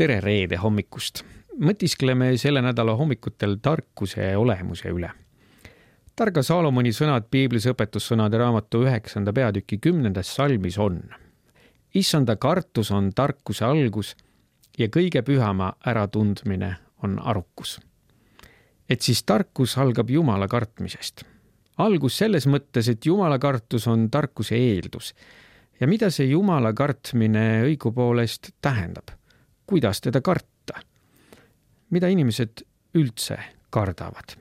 Tere reede hommikust! Mõtiskleme selle nädala hommikutel tarkuse olemuse üle. Targa Saalomoni sõnad Piiblis õpetussõnade raamatu 9. peatüki 10. salmis on: Issanda kartus on tarkuse algus ja kõige pühama äratundmine on arukus. Et siis tarkus algab Jumala kartmisest. Algus selles mõttes, et Jumala kartus on tarkuse eeldus. Ja mida see Jumala kartmine õigupoolest tähendab? Kuidas teda karta? Mida inimesed üldse kardavad?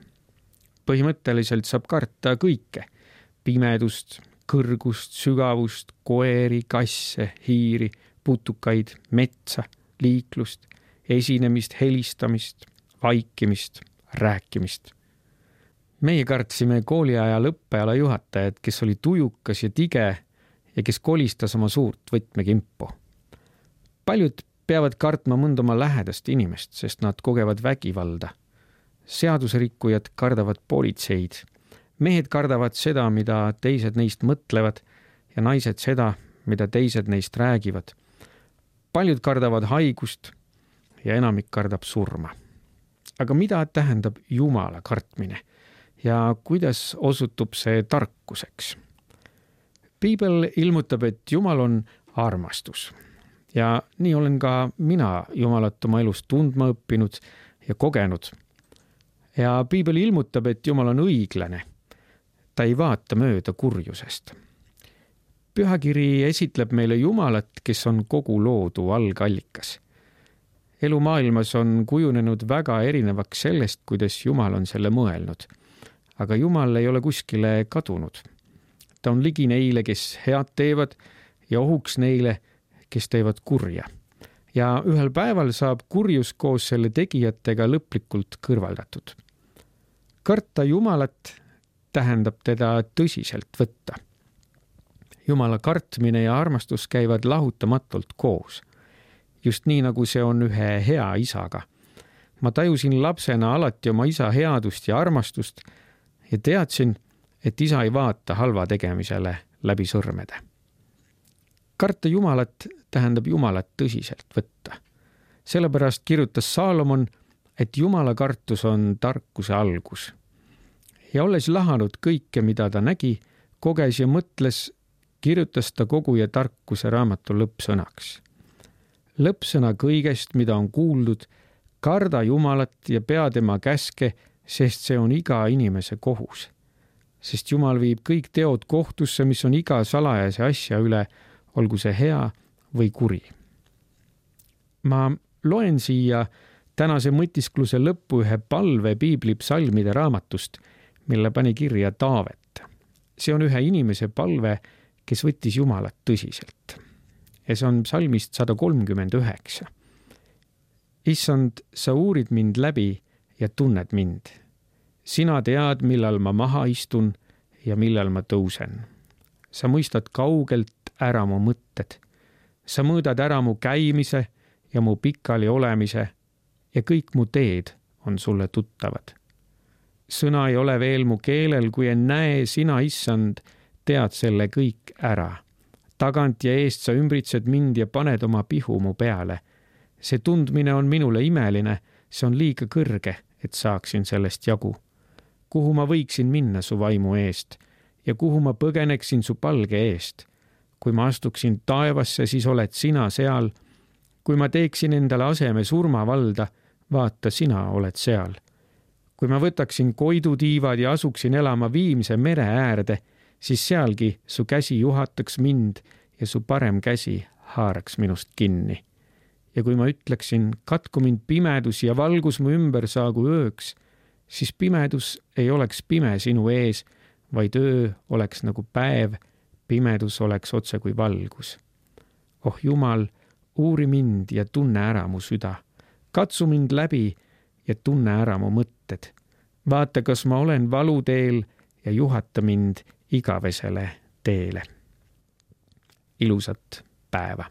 Põhimõtteliselt saab karta kõike. Pimedust, kõrgust, sügavust, koeri, kasse, hiiri, putukaid, metsa, liiklust, esinemist, helistamist, vaikimist, rääkimist. Meie kartsime kooliaja õppeala juhatajat, kes oli tujukas ja tige ja kes kolistas oma suurt võtmekimpu. Paljud peavad kartma mõnda oma lähedast inimest, sest nad kogevad vägivalda. Seadusrikkujad kardavad politseid. Mehed kardavad seda, mida teised neist mõtlevad, ja naised seda, mida teised neist räägivad. Paljud kardavad haigust ja enamik kardab surma. Aga mida tähendab Jumala kartmine ja kuidas osutub see tarkuseks? Piibel ilmutab, et Jumal on armastus. Ja nii olen ka mina Jumalat oma elus tundma õppinud ja kogenud. Ja Piibel ilmutab, et Jumal on õiglane. Ta ei vaata mööda kurjusest. Pühakiri esitleb meile Jumalat, kes on kogu loodu algallikas. Elu maailmas on kujunenud väga erinevaks sellest, kuidas Jumal on selle mõelnud. Aga Jumal ei ole kuskile kadunud. Ta on ligi neile, kes head teevad ja ohuks neile, kes teevad kurja. Ja ühel päeval saab kurjus koos selle tegijatega lõplikult kõrvaldatud. Karta Jumalat tähendab teda tõsiselt võtta. Jumala kartmine ja armastus käivad lahutamatult koos. Just nii, nagu see on ühe hea isaga. Ma tajusin lapsena alati oma isa headust ja armastust ja teadsin, et isa ei vaata halva tegemisele läbi sõrmede. Karta Jumalat tähendab Jumalat tõsiselt võtta. Sellepärast kirjutas Saalomon, et Jumala kartus on tarkuse algus. Ja olles lahanud kõike, mida ta nägi, koges ja mõtles, kirjutas ta koguja tarkuse raamatu lõppsõnaks. Lõppsõna kõigest, mida on kuuldud, karda Jumalat ja pea tema käske, sest see on iga inimese kohus. Sest Jumal viib kõik teod kohtusse, mis on iga salajase asja üle, olgu see hea või kuri. Ma loen siia tänase mõtiskluse lõppu ühe palve Piibli psalmide raamatust, mille pani kirja Taavet. See on ühe inimese palve, kes võttis Jumalat tõsiselt. Ja see on psalmist 139. Issand, sa uurid mind läbi ja tunned mind. Sina tead, millal ma maha istun ja millal ma tõusen. Sa mõistad kaugelt ära mu mõtted. Sa mõõdad ära mu käimise ja mu pikali olemise ja kõik mu teed on sulle tuttavad. Sõna ei ole veel mu keelel, kui en näe, sina, Issand, tead selle kõik ära. Tagant ja eest sa ümbritsed mind ja paned oma pihu mu peale. See tundmine on minule imeline, see on liiga kõrge, et saaksin sellest jagu. Kuhu ma võiksin minna su vaimu eest ja kuhu ma põgeneksin su palge eest? Kui ma astuksin taevasse, siis oled sina seal. Kui ma teeksin endale aseme surmavalda, vaata, sina oled seal. Kui ma võtaksin koidutiivad ja asuksin elama Viimse mere äärde, siis sealgi su käsi juhataks mind ja su parem käsi haaraks minust kinni. Ja kui ma ütleksin, katku mind pimedus ja valgus mu ümber saagu ööks, siis pimedus ei oleks pime sinu ees, vaid öö oleks nagu päev, pimedus oleks otse kui valgus. Oh Jumal, uuri mind ja tunne ära mu süda. Katsu mind läbi ja tunne ära mu mõtted. Vaata, kas ma olen valuteel ja juhata mind igavesele teele. Ilusat päeva!